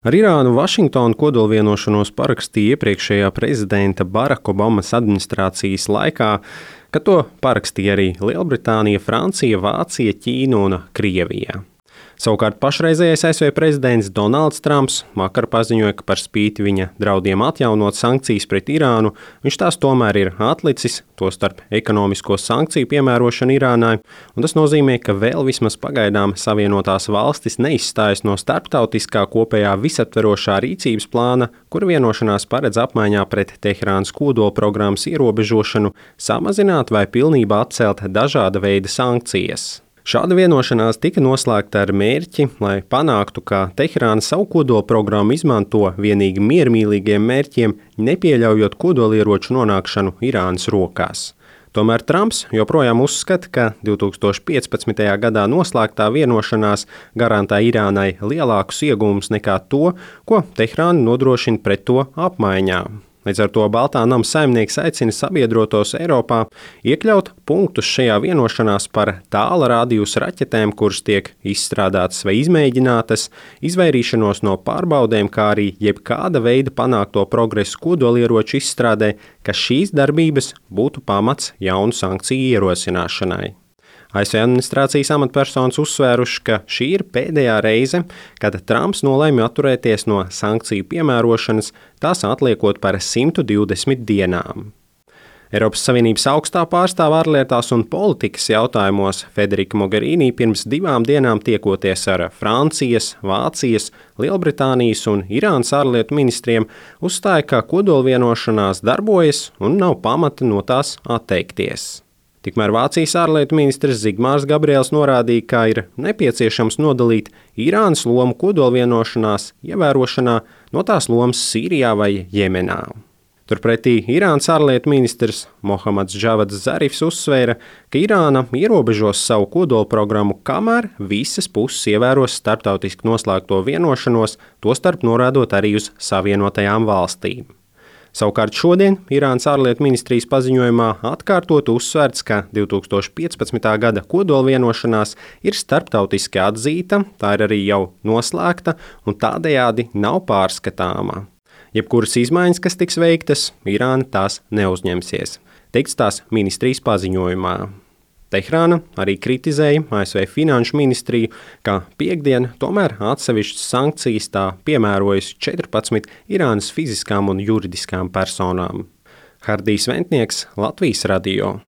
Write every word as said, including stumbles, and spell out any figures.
Ar Irānu Vašingtonu kodolvienošanos parakstīja iepriekšējā prezidenta Baraka Obamas administrācijas laikā, kad to parakstīja arī Lielbritānija, Francija, Vācija, Ķīna un Krievija. Savukārt pašreizējais A S V prezidents Donalds Trumps vakar paziņoja, ka par spīti viņa draudiem atjaunot sankcijas pret Irānu, viņš tās tomēr ir atlicis, tostarp ekonomisko sankciju piemērošanu Irānai, un tas nozīmē, ka vēl vismaz pagaidām Savienotās valstis neizstājas no starptautiskā kopējā visaptverošā rīcības plāna, kur vienošanās paredz apmaiņā pret Teherānas kodolprogrammas ierobežošanu, samazināt vai pilnībā atcelt dažāda veida sankcijas. Šāda vienošanās tika noslēgta ar mērķi, lai panāktu, ka Teherāna savu kodolprogrammu izmanto vienīgi miermīlīgiem mērķiem, nepieļaujot kodolieroču nonākšanu Irānas rokās. Tomēr Trumps joprojām uzskata, ka divi tūkstoši piecpadsmitajā gadā noslēgtā vienošanās garantē Irānai lielākus iegūmus nekā to, ko Teherāna nodrošina pret to apmaiņā. Līdz ar to Baltā nama saimnieks aicina sabiedrotos Eiropā iekļaut punktus šajā vienošanās par tāla radiusa raķetēm, kuras tiek izstrādātas vai izmēģinātas, izvairīšanos no pārbaudēm, kā arī jebkāda veida panākto progresu kodolieroču izstrādē, ka šīs darbības būtu pamats jaunu sankciju ierosināšanai. A S V administrācijas amatpersonas uzsvēruši, ka šī ir pēdējā reize, kad Trumps nolēma atturēties no sankciju piemērošanas, tās atliekot par simt divdesmit dienām. Eiropas Savienības augstā pārstāve ārlietās un politikas jautājumos Federika Mogherini pirms divām dienām tiekoties ar Francijas, Vācijas, Lielbritānijas un Irānas ārlietu ministriem, uzstāja, ka kodolvienošanās darbojas un nav pamata no tās atteikties. Tikmēr Vācijas ārlietu ministrs Zigmārs Gabriels norādīja, ka ir nepieciešams nodalīt Irānas lomu kodolvienošanās ievērošanā no tās lomas Sīrijā vai Jemenā. Turpretī Irānas ārlietu ministrs Mohammads Džavads Zarifs uzsvēra, ka Irāna ierobežos savu kodolprogrammu, kamēr visas puses ievēros starptautiski noslēgto vienošanos, tostarp norādot arī uz Savienotajām valstīm. Savukārt šodien Irānas ārlietu ministrijas paziņojumā atkārtot uzsvērts, ka divi tūkstoši piecpadsmitā gada kodolvienošanās ir starptautiski atzīta, tā ir arī jau noslēgta un tādējādi nav pārskatāma. Jebkuras izmaiņas, kas tiks veiktas, Irāna tās neuzņemsies, teikts tās ministrijas paziņojumā. Teherāna arī kritizēja A S V finanšu ministriju, ka piektdien tomēr atsevišķas sankcijas tā piemērojas četrpadsmit Irānas fiziskām un juridiskām personām. Hardijs Ventnieks, Latvijas radio.